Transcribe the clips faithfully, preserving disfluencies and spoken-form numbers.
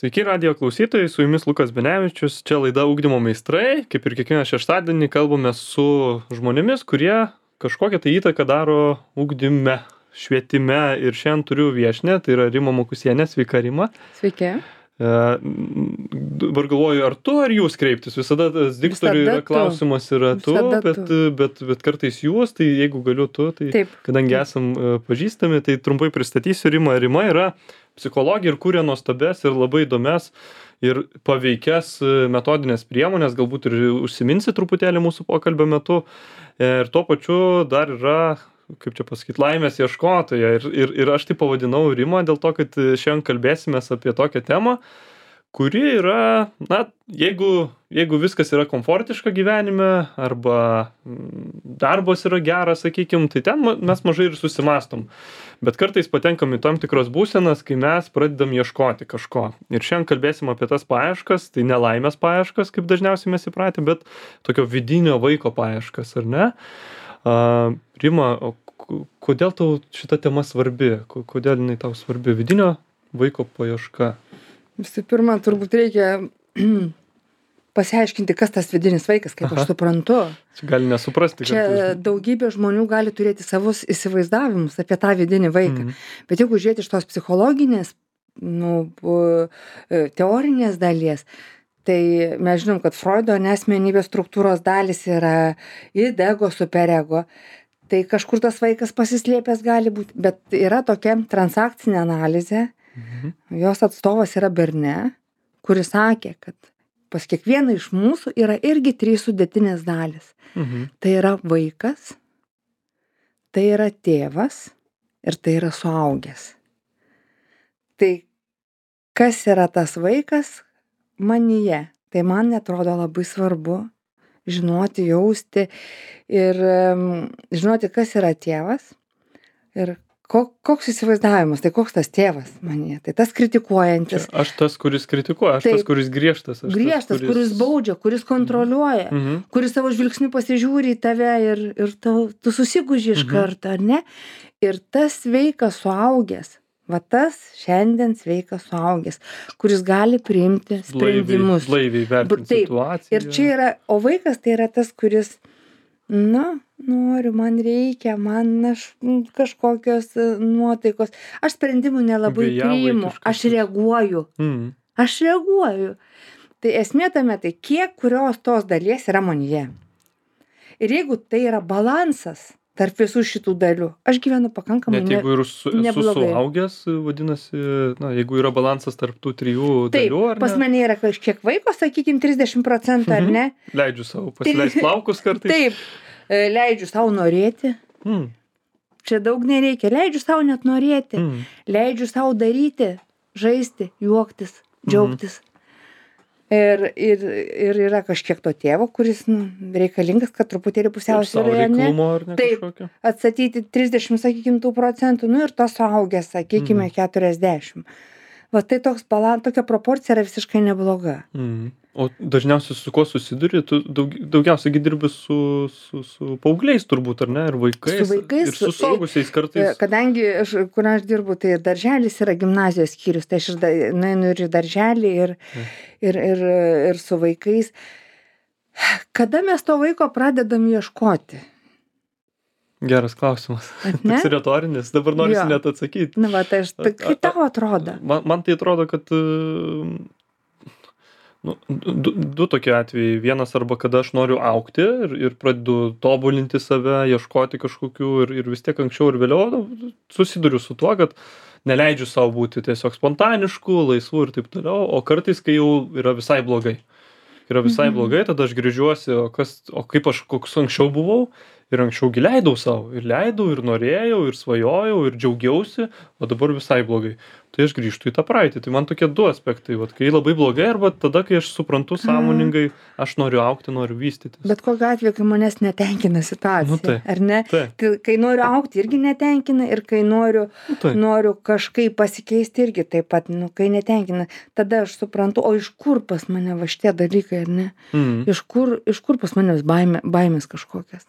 Sveiki radijo klausytojai, su jumis Lukas Benevičius, čia laida Ugdymo meistrai, kaip ir kiekvieną šeštadienį kalbame su žmonėmis, kurie kažkokią tai įtaką daro ugdyme, švietime ir šiandien turiu viešinę, tai yra Rima Mokusienė, sveika Rima. Sveiki. E, dabar galvoju, ar tu, ar jūs kreiptis, visada tas diktoriui yra klausimas yra tu, bet, bet, bet kartais jūs, tai jeigu galiu tu, tai Taip. kadangi esam e, pažįstami, tai trumpai pristatysiu Rimą. Rima yra psichologija ir kūrė nuostabes ir labai įdomias ir paveikias metodinės priemonės, galbūt ir užsiminsi truputėlį mūsų pokalbio metu. Ir tuo pačiu dar yra, kaip čia pasakyti, laimės ieškotoja. Ir, ir, ir aš tai pavadinau Rimą dėl to, kad šiandien kalbėsimės apie tokią temą, kuri yra, na, jeigu, jeigu viskas yra komfortiška gyvenime arba darbas yra geras, sakykim, tai ten mes mažai ir susimastom. Bet kartais patenkam į tam tikras būsenas, kai mes pradedam ieškoti kažko. Ir šiandien kalbėsim apie tas paieškas, tai ne laimės paieškas, kaip dažniausiai mes įpratę, bet tokio vidinio vaiko paieškas, ar ne? Uh, Rima, o kodėl tau šita tema svarbi? Kodėl jinai tau svarbi? Vidinio vaiko paieška. Visų pirma, turbūt reikia pasiaiškinti, kas tas vidinis vaikas, kaip Aha. aš suprantu. Čia gali nesuprasti. Čia kartais. daugybė žmonių gali turėti savus įsivaizdavimus apie tą vidinį vaiką. Mm. Bet jeigu žiūrėti iš tos psichologinės, nu, teorinės dalies, tai mes žinom, kad Freudo asmenybės struktūros dalis yra id, ego, superego. Tai kažkur tas vaikas pasislėpęs gali būti. Bet yra tokia transakcinė analizė. Mhm. Jos atstovas yra Berne, kuris sakė, kad pas kiekvieną iš mūsų yra irgi trys sudėtinės dalis. Mhm. Tai yra vaikas, tai yra tėvas ir tai yra suaugęs. Tai kas yra tas vaikas manyje? Tai man atrodo labai svarbu žinoti, jausti ir um, žinoti, kas yra tėvas ir koks įsivaizdavimas, tai koks tas tėvas manyje, tai tas kritikuojantis. Čia aš tas, kuris kritikuoja, aš Taip, tas, kuris griežtas. Aš griežtas, tas, kuris... kuris baudžia, kuris kontroliuoja, mhm. kuris savo žvilgsniu pasižiūri į tave ir, ir tu, tu susiguži iš mhm. karto, ar ne? Ir tas sveikas suaugęs, va tas šiandien sveikas suaugęs, kuris gali priimti sprendimus. Blaiviai vertinti situaciją. Ir čia yra, o vaikas tai yra tas, kuris, na, noriu, man reikia, man aš, kažkokios nuotaikos. Aš sprendimų nelabai priimu, aš reaguoju. Mm. Aš reaguoju. Tai esmė tame, tai kiek kurios tos dalies yra manyje. Ir jeigu tai yra balansas tarp visų šitų dalių, aš gyvenu pakankamai neblogai. Net jeigu ir su, esu suaugęs, vadinasi, na, jeigu yra balansas tarp tų trijų Taip, dalių, ar ne? Pas mane yra kažkiek vaiko, sakykim, trisdešimt procentų, ar ne? Leidžiu savo pasileist plaukus kartais. Taip, leidžiu savo norėti. Mm. Čia daug nereikia. Leidžiu savo net norėti. Mm. Leidžiu savo daryti, žaisti, juoktis, džiaugtis. Mm. Ir, ir, ir yra kažkiek to tėvo, kuris nu, reikalingas, kad truputėlį pusiausvyrą, ne? ne Taip, atstatyti trisdešimt, sakykim, tų procentų, nu ir tas suaugęs, sakykime, mm. keturiasdešimt. Va tai toks balans, tokia proporcija yra visiškai nebloga. Mm. O dažniausiai su kuo susiduri? Tu daug, daugiausiai dirbi su, su, su paaugliais turbūt, ar ne? Ir vaikais. Su vaikais. Ir su suaugusiais kartais. Kadangi, aš, kur aš dirbu, tai darželis yra gimnazijos skyrius, tai aš ir nueinu ir į darželį, ir, mm. ir, ir, ir su vaikais. Kada mes to vaiko pradedam ieškoti? Geras klausimas. Toks retorinis. Dabar norisi net atsakyti. Na, va, tai aš, tai kaip tau atrodo? Man, man tai atrodo, kad nu, du, du tokie atvejai. Vienas arba kada aš noriu augti ir, ir pradedu tobulinti save, ieškoti kažkokių ir, ir vis tiek anksčiau ir vėliau nu, susiduriu su tuo, kad neleidžiu savo būti tiesiog spontanišku, laisvu ir taip toliau, o kartais, kai jau yra visai blogai. Yra visai mhm. blogai, tada aš grįžiuosi, o, kas, o kaip aš koks anksčiau buvau ir anksčiau gi leidau savo, ir leidau, ir norėjau, ir svajojau, ir džiaugiausi, o dabar visai blogai. Tai aš grįžtu į tą praeitį. Tai man tokie du aspektai, vat, kai labai blogai, arba tada, kai aš suprantu sąmoningai, aš noriu augti, noriu vystytis. Bet kokiu atveju, kai manęs netenkina situacija, nu, tai, ar ne? Tai. Tai, kai noriu augti, irgi netenkina, ir kai noriu, nu, tai. noriu kažkaip pasikeisti, irgi taip pat, nu, kai netenkina, tada aš suprantu, o iš kur pas mane va šitie dalykai, ar ne? Mm. Iš kur, iš kur pas mane baimė, baimės kažkokias?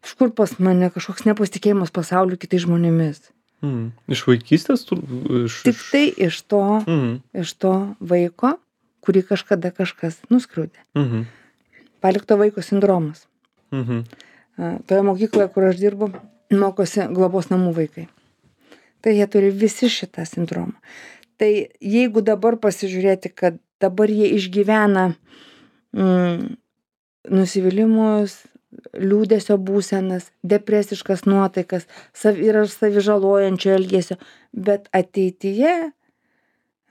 Iš kur pas mane kažkoks nepasitikėjimas pasauliu kitais žmonėmis? Mhm. Iš vaikystės tu iš Tik iš tai iš to, Mhm. iš to vaiko, kurį kažkada kažkas nuskriaudė. Mhm. Palikto vaiko sindromas. Mhm. A, toje mokykloje, kur aš dirbu, mokosi globos namų vaikai. Tai jie turi visi šitą sindromą. Tai jeigu dabar pasižiūrėti, kad dabar jie išgyvena mm, nusivylimus, liūdesio būsenas, depresiškas nuotaikas, sav, yra savižalojančio elgesio, bet ateityje,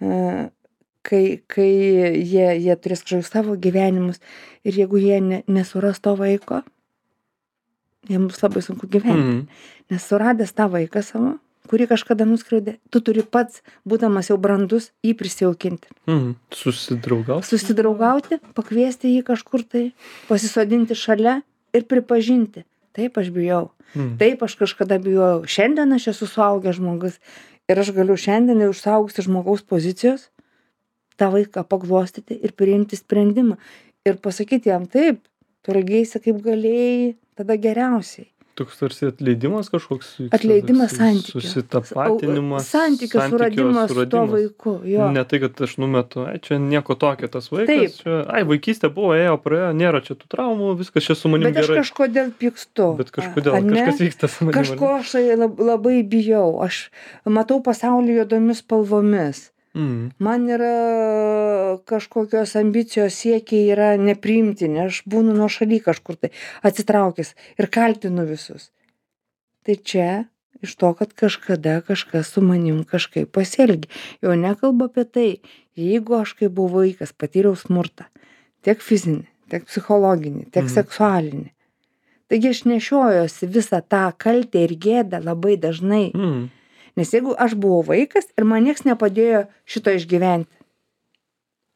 e, kai, kai jie, jie turės kažkokius savo gyvenimus ir jeigu jie ne, nesuras to vaiko, jiems bus labai sunku gyventi. Mhm. Nes suradęs tą vaiką savo, kurį kažkada nuskriaudė, tu turi pats, būdamas jau brandus, jį prisijaukinti. Mhm. Susidraugauti. Susidraugauti, pakviesti jį kažkur tai, pasisodinti šalia ir pripažinti. Taip aš bijau. Mhm. Taip aš kažkada bijojau. Šiandien aš esu suaugęs žmogus ir aš galiu šiandien jau iš suaugusios žmogaus pozicijos tą vaiką paglostyti ir priimti sprendimą. Ir pasakyti jam taip, tu elgeisi kaip galėjai, tada geriausiai. Toks tarsi atleidimas kažkoks. vyksta, Atleidimas toks santykio. Susitapatinimas. Santykio suradimas su tuo vaiku. Jo. Ne tai, kad aš numetu, ai, čia nieko tokio tas vaikas. Taip. Čia, ai, vaikystė buvo, ėjo, praėjo, nėra čia tų traumų, viskas čia su manim Bet aš gerai. kažkodėl pykstu. Bet kažkodėl, Ar ne? kažkas vyksta su manim. Kažko aš lab- labai bijau. Aš matau pasaulį juodomis spalvomis. Mhm. Man yra kažkokios ambicijos siekiai yra nepriimtini. Aš būnu nuošaly kažkur tai atsitraukęs ir kaltinu visus. Tai čia iš to, kad kažkada kažkas su manim kažkaip pasielgė. Jau nekalbu apie tai, jeigu aš kaip buvau vaikas patyriau smurtą, tiek fizinį, tiek psichologinį, tiek Mhm. seksualinį. Taigi aš nešiojuosi visą tą kaltę ir gėdą labai dažnai. Mhm. Nes jeigu aš buvau vaikas ir man nieks nepadėjo šito išgyventi,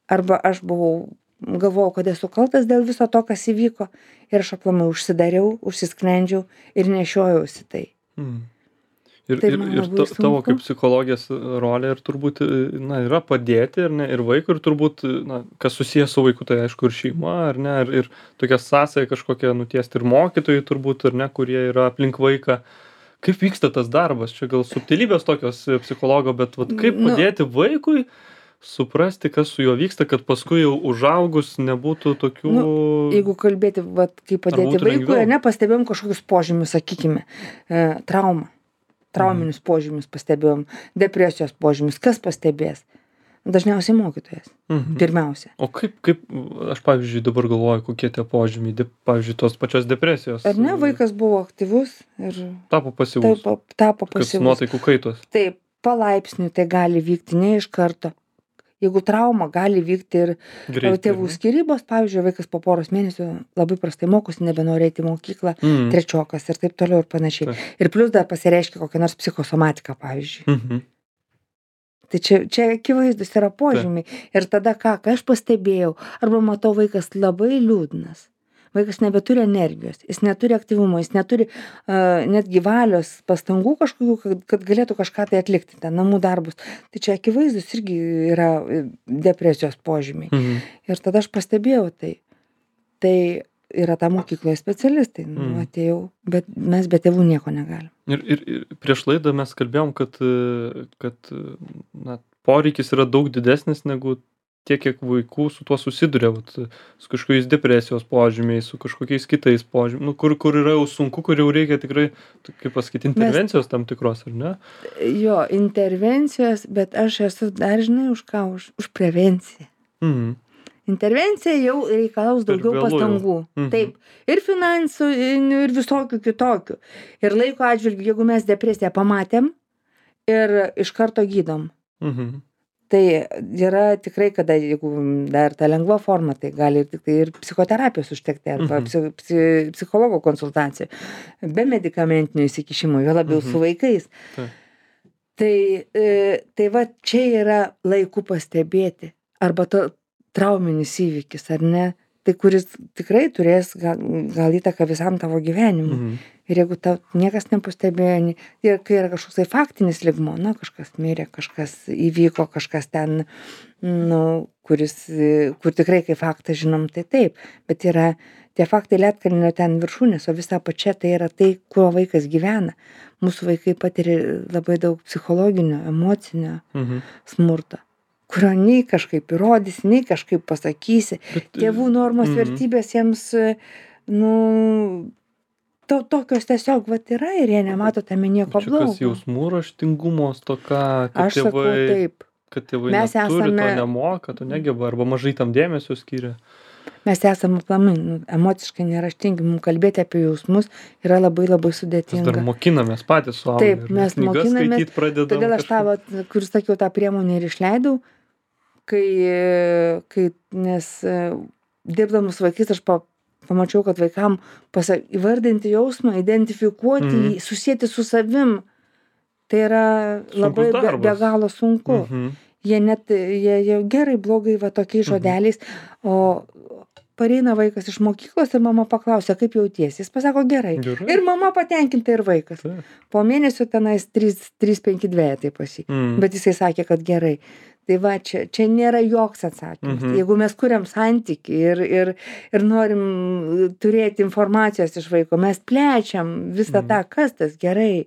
arba aš buvau, galvojau, kad esu kaltas dėl viso to, kas įvyko, ir aš aplamai užsidariau, užsisklendžiau ir nešiojausi tai. Mhm. Ir, Tai ir, man ir labai ta, tavo sunku. kaip psichologės rolė ir turbūt na, yra padėti ir, ne, ir vaikui, ir turbūt, na, kas susijęs su vaiku, tai aišku ir šeima, ar ne, ir, ir tokia sąsaja kažkokia nutiesti ir mokytojai turbūt, ar ne, kurie yra aplink vaiką. Kaip vyksta tas darbas? Čia gal subtilybės tokios psichologo, bet vat, kaip Nu. padėti vaikui suprasti, kas su juo vyksta, kad paskui jau užaugus nebūtų tokių... Nu, jeigu kalbėti, vat, kaip padėti būtų vaikui, lengviau? nepastebėjom kažkokius požymius, sakykime, e, traumą, trauminius požymius pastebėjom, depresijos požymius, kas pastebės? Dažniausiai mokytojas, Mhm. pirmiausia. O kaip, kaip, aš pavyzdžiui dabar galvoju, kokie tie požymiai, de, pavyzdžiui, tos pačios depresijos. Ar ne, vaikas buvo aktyvus ir Tapo pasyvus. taip tapo Kas pasyvus. nuotaikų kaitos. Taip, palaipsniui tai gali vykti ne iš karto. Jeigu trauma gali vykti ir Greitai, tėvų ar ne? skyrybos, pavyzdžiui, vaikas po poros mėnesių labai prastai mokosi, nebenori eiti į mokyklą, Mhm. trečiokas ir taip toliau ir panašiai. Taip. Ir plus dar pasireiškia kokia nors psichosomatika, pavyzdžiui. Mhm. Tai čia, čia akivaizdus yra požymiai. Ir tada ką, ką aš pastebėjau, arba matau vaikas labai liūdnas. Vaikas nebeturi energijos, jis neturi aktyvumo, jis neturi uh, netgi valios pastangų kažkokių, kad, kad galėtų kažką tai atlikti, ten namų darbus. Tai čia akivaizdus irgi yra e, depresijos požymiai. Mhm. Ir tada aš pastebėjau tai. Tai yra ta mokykloje specialistai, nu, Mm. atėjau, bet mes be tėvų nieko negalim. Ir, ir, ir prieš laidą mes kalbėjom, kad, e, kad e, na, poreikis yra daug didesnis negu tiek, kiek vaikų su tuo susiduria, vat, su kažkokiais depresijos požymiais, su kažkokiais kitais požymiais, nu, kur, kur yra jau sunku, kur jau reikia tikrai, tai kaip pasakyti, intervencijos tam tikros, ar ne? Jo, intervencijos, bet aš esu dar žinai už ką, už, už prevenciją. Mhm. Intervencija jau reikalaus Per daugiau vėlu jau. pastangų. Mhm. Taip, ir finansų, ir visokių kitokių. Ir laiko atžvilgiu, jeigu mes depresiją pamatėm ir iš karto gydom. Mhm. Tai yra tikrai, kada jeigu dar ta lengva forma, tai gali ir tik tai ir psichoterapijos užtekti, arba Mhm. psi, psi, psichologo konsultacijų, be medikamentinio įsikišimo, jo labiau Mhm. su vaikais. Taip. Tai, e, tai va čia yra laiku pastebėti. Arba to trauminis įvykis, ar ne? Tai kuris tikrai turės gal, gal įtaką visam tavo gyvenimui. Mhm. Ir jeigu tau niekas nepastebėjo, ne- ir kai yra kažkoks tai faktinis lygmuo, na, kažkas mirė, kažkas įvyko, kažkas ten, nu, kuris, e, kur tikrai kaip faktą žinom, tai taip. Bet yra tie faktai ledkalnio ten viršūnės, o visa apačia tai yra tai, kuo vaikas gyvena. Mūsų vaikai patiria labai daug psichologinio, emocinio Mhm. smurto, kurio nei kažkaip įrodysi, nei kažkaip pasakysi. Bet, Tėvų normos, mhm. vertybės jiems, nu, to, tokios tiesiog vat yra ir jie nemato tame nieko Čia kas blogo. jausmų raštingumo stoka, kad Aš sakau tėvai, taip. kad tėvai Mes neturi, esame- to nemoka, to negeba, arba mažai tam dėmesio skiria. Mes esame aplamai nu, emociškai neraštingi, mums kalbėti apie jausmus yra labai labai Mes dar sudėtinga. mokinamės patys suaugę. Taip, ar ne? mes Knygas mokinamės, skaityt pradedam Todėl aš tą, kažkaip. vat, kur sakiau, tą priemonę ir išleidau, kai, kai nes e, dirbdamas su vaikais aš pa, pamačiau, kad vaikam pasa, įvardinti jausmą, identifikuoti, Mhm. jį, susėti su savim, tai yra labai be, darbas. be galo sunku. Mhm. Jie net, jie jau gerai, blogai, va tokiais Mhm. žodeliais, o pareina vaikas iš mokyklos ir mama paklausia, kaip jautiesi. Jis pasako gerai. Gerai. Ir mama patenkinta ir vaikas. Taip. Po mėnesio tenais trys penki dvejetai pas jį. Mhm. Bet jisai sakė, kad gerai. Tai va, čia, čia nėra joks atsakymas. Mhm. Jeigu mes kuriam santykį ir, ir, ir norim turėti informacijos iš vaiko, mes plečiam visą Mhm. tą, kas tas gerai,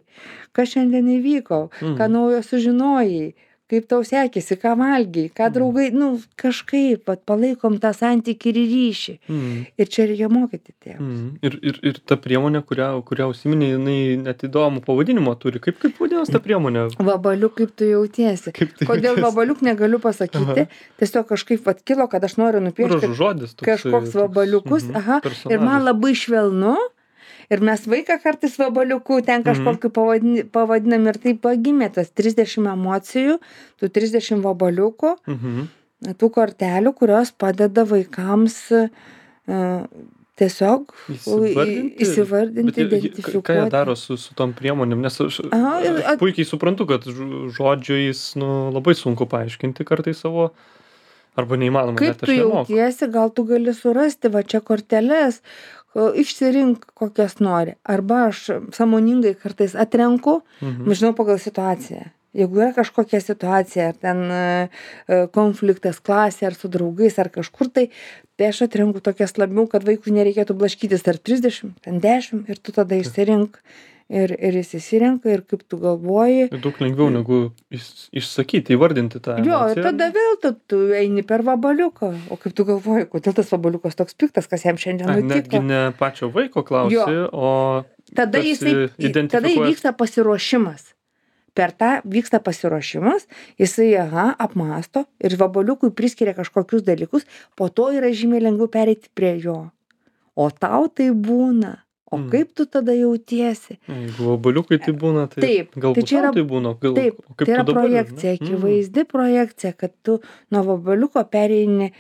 kas šiandien įvyko, Mhm. ką naujo sužinojai, kaip tau sekėsi, ką valgiai, ką draugai, nu kažkaip vat, palaikom tą santykį ir ryšį. Mhm. Ir čia reikia mokyti tėvus. Mhm. Ir, ir, ir ta priemonė, kurią, kurią užsiminė, jinai net įdomų pavadinimą turi. Kaip, kaip vadinasi ta priemonė? Vabaliuk, kaip tu jautiesi. Kaip tai Kodėl jautiesi? vabaliuk negaliu pasakyti. Tiesiog kažkaip vat kilo, kad aš noriu nupiešti Gražus žodis. toksai, kažkoks toks, vabaliukus. mhm, Aha. Ir personažas. man labai švelnu. Ir mes vaiką kartais vabaliuku ten kažkokiu pavadin, pavadinam ir taip pagimė tas trisdešim emocijų, tų trisdešim vabaliukų, Mhm. tų kortelių, kurios padeda vaikams uh, tiesiog Įsivardinti. įsivardinti, Bet jie- jie- identifikuoti. Ką jie daro su, su tom priemonėm? Nes aš Aha, ir- aš puikiai suprantu, kad ž- žodžiais nu, labai sunku paaiškinti kartais savo, arba neįmanoma. Kaip net tu aš nemoku. jautiesi, gal tu gali surasti va čia korteles, o, išsirink kokias nori. Arba aš sąmoningai kartais atrenku, Mhm. žinau pagal situaciją. Jeigu yra kažkokia situacija, ar ten e, e, konfliktas klasė, ar su draugais, ar kažkur tai, tai aš atrenku tokias labiau, kad vaikui nereikėtų blaškytis tarp trisdešim, ten dešim ir tu tada išsirink. Ir, ir jis įsirenka ir kaip tu galvoji. Ir daug lengviau negu iš, išsakyti, įvardinti tą. Jo, emociją. ir tada vėl tu, tu eini per vabaliuką. O kaip tu galvoji, kodėl tas vabaliukas toks piktas, kas jam šiandien Ai, nutiko? netgi ne pačio vaiko klausi, Jo. o Tada, tarsi jisai, tada identifikuojas- įvyksta pasiruošimas. Per tą vyksta pasiruošimas, jisai, aha, apmąsto ir vabaliukui priskiria kažkokius dalykus, po to yra žymiai lengviau pereiti prie jo. O tau tai būna. O Mm. kaip tu tada jautiesi? jeigu vabaliukai tai būna, tai Taip, galbūt tai čia tau yra- tai būna. Gal, Taip, o kaip tai yra tu dabar, projekcija, ne? Mm. akivaizdi projekcija, kad tu nuo vabaliuko pereini,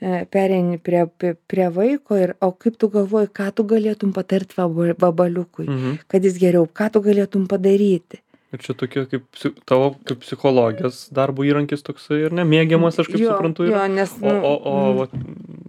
e, pereini prie, prie, prie vaiko ir, o kaip tu galvoji, ką tu galėtum patarti vaba- vabaliukui, Mhm. kad jis geriau, ką tu galėtum padaryti. Ir čia tokia kaip psi- tavo kaip psichologijos darbo įrankis toksai ir nemėgiamas, aš kaip Jo, suprantu. jo, yra. nes, O, o, o mm. vat,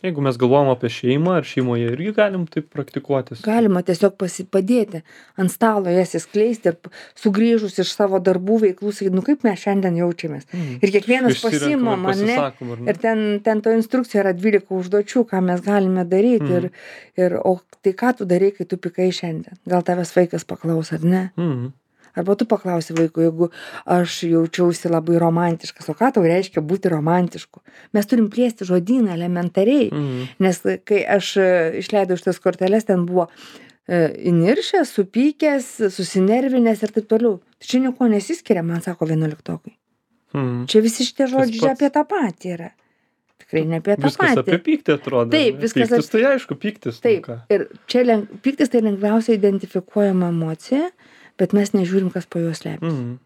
jeigu mes galvojam apie šeimą, ar šeimoje irgi galim taip praktikuotis. Galima tiesiog pasipadėti ant stalo jas įskleisti ir p- sugrįžus iš savo darbų veiklų, sakyti, nu kaip mes šiandien jaučiamės. Mhm. Ir kiekvienas Išsirenkam pasimam, ir ar ne? pasisakom, ar ne? Ir ten, ten to instrukcija yra dvylika užduočių, ką mes galime daryti. Mhm. Ir, ir, o tai ką tu darai, kai tu pikai šiandien? Gal tavęs vaikas paklaus, ar ne? Mhm. Arba tu paklausi vaikų, jeigu aš jaučiausi labai romantiškas, o ką tau reiškia būti romantišku? Mes turim plėsti žodyną elementariai, Mhm. nes kai aš e, išleidau šitas korteles, ten buvo e, įniršęs, supykęs, susinervinęs ir taip toliau. Tai čia nieko nesiskiria, man sako vienuoliktokai. Mhm. Čia visi šitie žodžiai pats. apie tą patį yra. Tikrai ne apie tą Viskas apie patį. pyktį atrodo. Taip, ne? viskas Pyktis, tai aišku, pyktis. nu Taip, ką. ir čia leng, pyktis tai lengviausiai identifikuojama emocija, bet mes nežiūrim, kas po juos slepiasi. Mhm.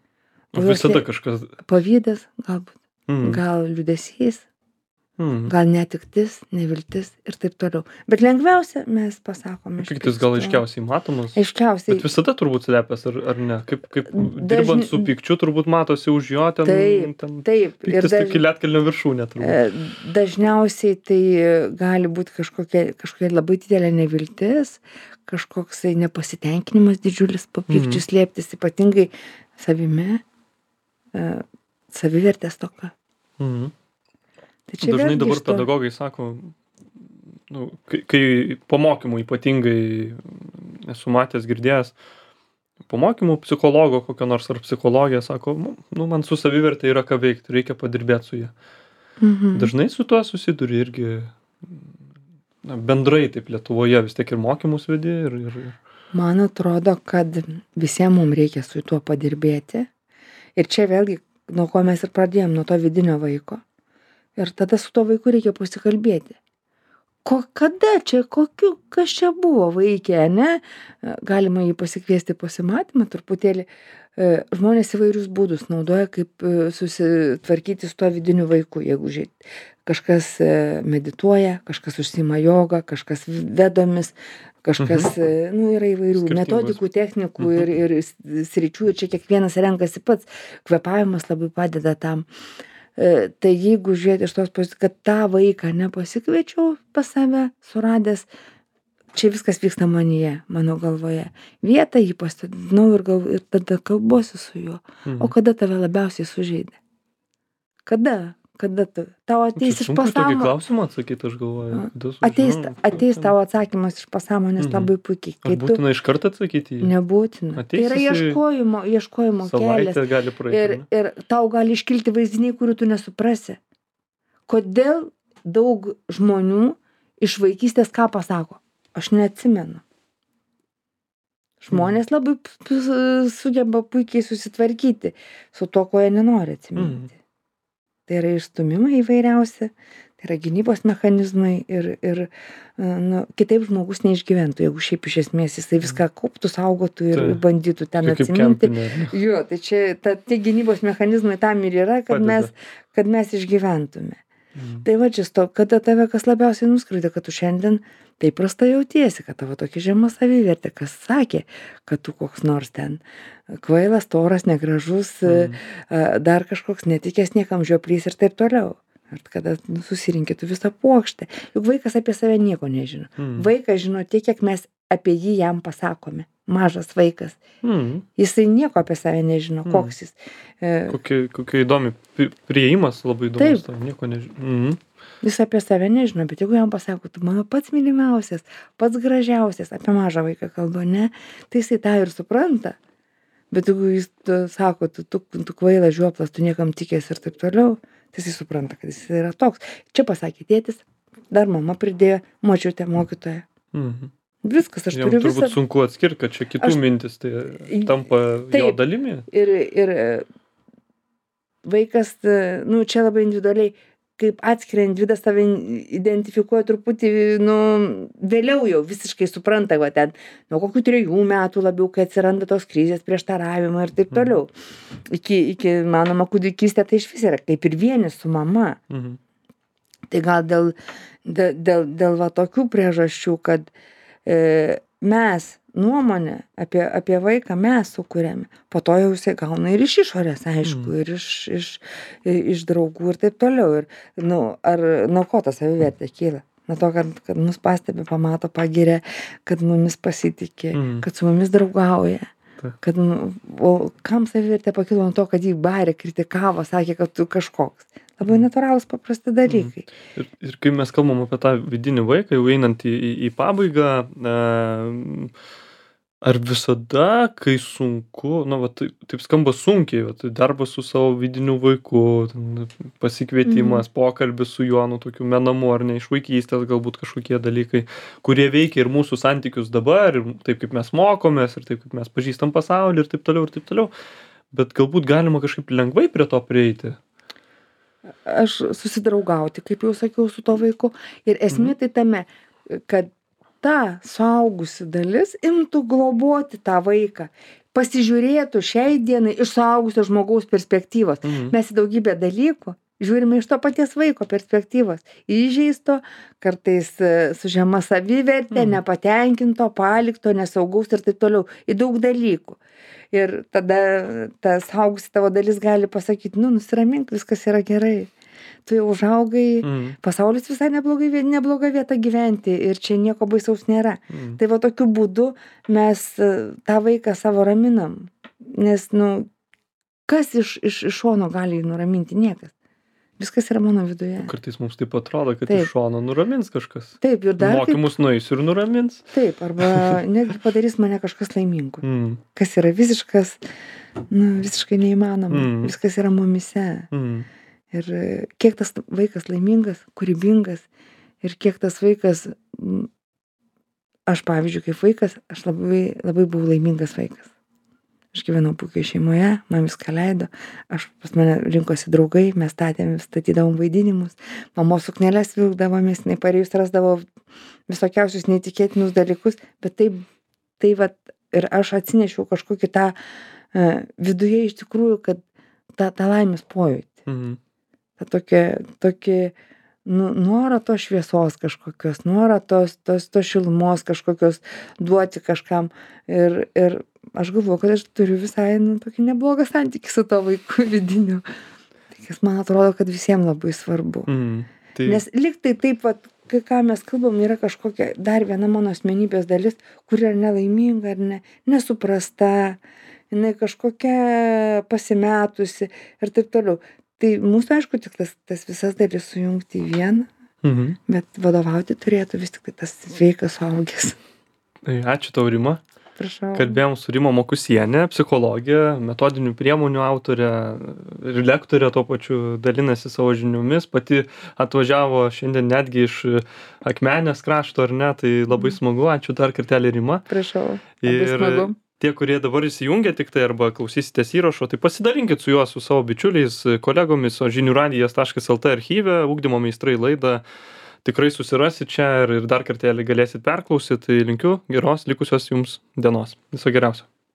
O juos Visada lė- kažkas. Pavydas, galbūt, Mhm. gal liūdesys, Mhm. gal netektis, neviltis ir taip toliau. Bet lengviausia mes pasakome. iš Pyktis gal pykčio. aiškiausiai matomas. Aiškiausiai. Bet visada turbūt slepiasi, ar, ar ne? Kaip, kaip Dažni- dirbant su pykčiu, turbūt matosi už jo ten. Taip, ten taip. Ir Pyktis daž, tik lietkalnio viršūnė turbūt. e, dažniausiai tai e, gali būti kažkokia, kažkokia labai didelė neviltis, kažkoksai nepasitenkinimas didžiulis po pykčių Mhm. slėptis, ypatingai savimi, e, savivertės toka. Mhm. Tai čia Dažnai vėlgi dabar iš to- pedagogai sako, nu, kai, kai po mokymų ypatingai esu matęs, girdėjęs, po mokymų psichologo kokio nors ar psichologija sako, nu, nu, man su savivertė yra ką veikti, reikia padirbėti su ja. Mhm. Dažnai su tuo susiduri irgi, na, bendrai taip Lietuvoje vis tiek ir mokymus vedi ir... ir... Man atrodo, kad visiems mums reikia su tuo padirbėti. Ir čia vėlgi, nuo ko mes ir pradėjom, nuo to vidinio vaiko. Ir tada su tuo vaiku reikia pasikalbėti. Ko, kada čia, kokiu, kas čia buvo vaikė, ne? Galima jį pasikviesti pasimatymą, truputėlį. Žmonės įvairius būdus naudoja, kaip susitvarkyti su tuo vidiniu vaiku. Jeigu žiūrėt, kažkas medituoja, kažkas užsiima jogą, kažkas vedomis, kažkas, mhm. nu, yra įvairių metodikų, technikų mhm. ir, ir sričių. Ir čia kiekvienas renkasi pats. Kvepavimas labai padeda tam. Tai jeigu žiūrėti iš tos pozicijos, kad tą vaiką nepasikviečiau pas save, suradęs, čia viskas vyksta manyje, mano galvoje. Vietą jį pastadinau ir, gal, ir tada kalbuosi su juo. Mhm. O kada tave labiausiai sužeidė? Kada? Kada tu? Tau ateis iš pasąmonės. Tokį klausimą atsakyti, aš galvoju. Ateis, ateis tavo atsakymas iš pasąmonės mhm. labai puikiai. Ar būtina iš karto atsakyti jį? Nebūtina. Tai yra ieškojimo, ieškojimo kelias. Gali praeiti, ir, ir tau gali iškilti vaizdiniai, kurių tu nesuprasi. Kodėl daug žmonių iš vaikystės ką pasako? Aš neatsimenu. Žmonės labai sugeba puikiai susitvarkyti su to, ko jie nenori atsiminti. Mm. Tai yra išstumimai įvairiausi, tai yra gynybos mechanizmai ir, ir nu, kitaip žmogus neišgyventų, jeigu šiaip iš esmės jisai viską kauptų, saugotų ir tai, bandytų ten atsiminti. Kempinė. Jo, tai čia ta, tie gynybos mechanizmai tam ir yra, kad, mes, kad mes išgyventume. Mm. Tai va čia, kada tave kas labiausiai nuskriaudė, kad tu šiandien taip prastai jautiesi, kad tavo tokia žema savivertė, kas sakė, kad tu koks nors ten kvailas, storas, negražus, mm. dar kažkoks netikęs niekam žioplys ir taip toliau. Ir kada nu, susirinkėtų visą puokštę. Juk vaikas apie save nieko nežino. Mm. Vaikas žino tiek, kiek mes apie jį jam pasakome. Mažas vaikas. Mm. Jisai nieko apie save nežino. Mm. Koks jis. Kokia, kokia įdomi prieimas, labai įdomus. Taip. Nieko nežino. Mm. Jis apie save nežino, bet jeigu jam pasako, tu mano pats mylimiausias, pats gražiausias, apie mažą vaiką kalba, ne, tai jisai tą ir supranta. Bet jeigu jis sako, tu, tu, tu kvailas, žioplas, tu niekam tikės ir taip toliau, tai jisai supranta, kad jis yra toks. Čia pasakė tėtis, dar mama pridėjo, močiutė, mokytoja. Mhm. Viskas, aš Jam turiu visą. Turbūt sunku atskirti, kad čia kitų aš... mintis, tai tampa taip, jo dalimi. Ir, ir vaikas, nu, čia labai individualiai, kaip atskiria individas save identifikuoja truputį, nu, vėliau jau visiškai supranta, va ten, nuo kokių trejų metų labiau, kai atsiranda tos krizės, prieštaravimai ir taip toliau. Iki, iki manoma, kūdikystė tai iš vis yra kaip ir vienis su mama. Mhm. Tai gal dėl, dėl, dėl, dėl va tokių priežasčių, kad e, mes nuomonę apie, apie vaiką mes sukuriame, po to jau jisai gauna ir iš išorės, aišku, mm. ir iš, iš, iš draugų ir taip toliau. Ir, nu, ar nuo ko ta savivertė kyla? Nuo to, kad, kad mus pastebi, pamato, pagiria, kad mumis pasitikė, mm. kad su mumis draugauja. Ta. Kad, nu, o kam savivertė pakilo nuo to, kad jį barė, kritikavo, sakė, kad tu kažkoks. Labai natūralūs paprasti dalykai. Mm. Ir, ir kai mes kalbam apie tą vidinį vaiką, jau einant į, į, į pabaigą, e, ar visada, kai sunku, na, va, taip, taip skamba sunkiai, va, tai darbas su savo vidiniu vaiku, pasikvietimas, mm. pokalbis su juo, nu, tokiu menamu, ar ne iš vaikystės, galbūt kažkokie dalykai, kurie veikia ir mūsų santykius dabar, ir taip kaip mes mokomės, ir taip kaip mes pažįstam pasaulį, ir taip toliau, ir taip toliau. Bet galbūt galima kažkaip lengvai prie to prieiti. Aš susidraugauti, kaip jau sakiau, su to vaiku. Ir esmė tai tame, kad ta suaugusi dalis imtų globoti tą vaiką, pasižiūrėtų šiai dienai iš suaugusio žmogaus perspektyvos. Mhm. Mes į daugybę dalykų žiūrime iš to paties vaiko perspektyvos. Įžeisto, kartais su žema savivertė, mhm. nepatenkinto, palikto, nesaugaus ir taip toliau. Į daug dalykų. Ir tada ta suaugusi tavo dalis gali pasakyti, nu, nusiramink, viskas yra gerai. Tu jau užaugai, mm. pasaulis visai neblogai, nebloga vieta gyventi ir čia nieko baisaus nėra. Mm. Tai va tokiu būdu mes tą vaiką savo raminam. Nes, nu, kas iš, iš, iš šono gali jį nuraminti? Niekas. Viskas yra mano viduje. Kartais mums taip atrodo, kad Taip. iš šono nuramins kažkas. Taip, ir dar kaip, Mokymus nueisiu ir nuramins. taip, arba netgi padarys mane kažkas laimingu. Mm. Kas yra visiškas, nu, visiškai neįmanoma. Mm. Viskas yra mumise. Mm. Ir e, kiek tas vaikas laimingas, kūrybingas ir kiek tas vaikas, m, aš pavyzdžiui, kaip vaikas, aš labai, labai buvau laimingas vaikas. Aš gyvenau puikiai šeimoje, man viską leido, aš pas mane rinkosi draugai, mes statėm, statydavom vaidinimus, mamos suknelės vilkdavomės, jinai pareijus rasdavo visokiausius neįtikėtinus dalykus, bet tai, tai vat, ir aš atsinešiau kažkokį tą uh, viduje iš tikrųjų, kad tą, tą laimės pojūtį, Mm. tą tokį, tokį nu, norą tos šviesos kažkokios, norą tos, tos, tos šilumos kažkokios duoti kažkam ir, ir aš galvoju, kad aš turiu visai nu, tokį neblogą santykį su to vaiku vidiniu. Tai kas man atrodo, kad visiems labai svarbu. Mm. Tai... Nes lyg tai taip, vat, kai ką mes kalbam, yra kažkokia dar viena mano asmenybės dalis, kuri yra nelaiminga ar ne, nesuprasta, jinai kažkokia pasimetusi ir taip toliau. Tai mūsų, aišku, tik tas, tas visas dalis sujungti į vieną, Mhm. bet vadovauti turėtų vis tik tai tas sveikas suaugęs. Tai ačiū tau, Rima. Prašau. Kalbėjom su Rima Mokusienė, psichologė, metodinių priemonių autorė ir lektorė tuo pačiu dalinasi savo žiniomis, pati atvažiavo šiandien netgi iš Akmenės krašto, ar ne, tai labai smagu, ačiū dar kartelį, Rima. Prašau. Labai Ir smagu. tie, kurie dabar įsijungia tik tai arba klausysitės įrašo, tai pasidalinkit su juo, su savo bičiuliais, kolegomis, o žinių radijas taškas lt archyve, ugdymo meistrai laidą tikrai susirasit čia ir, ir dar kartelį galėsit perklausyt. Tai linkiu geros likusios jums dienos. Viso geriausio.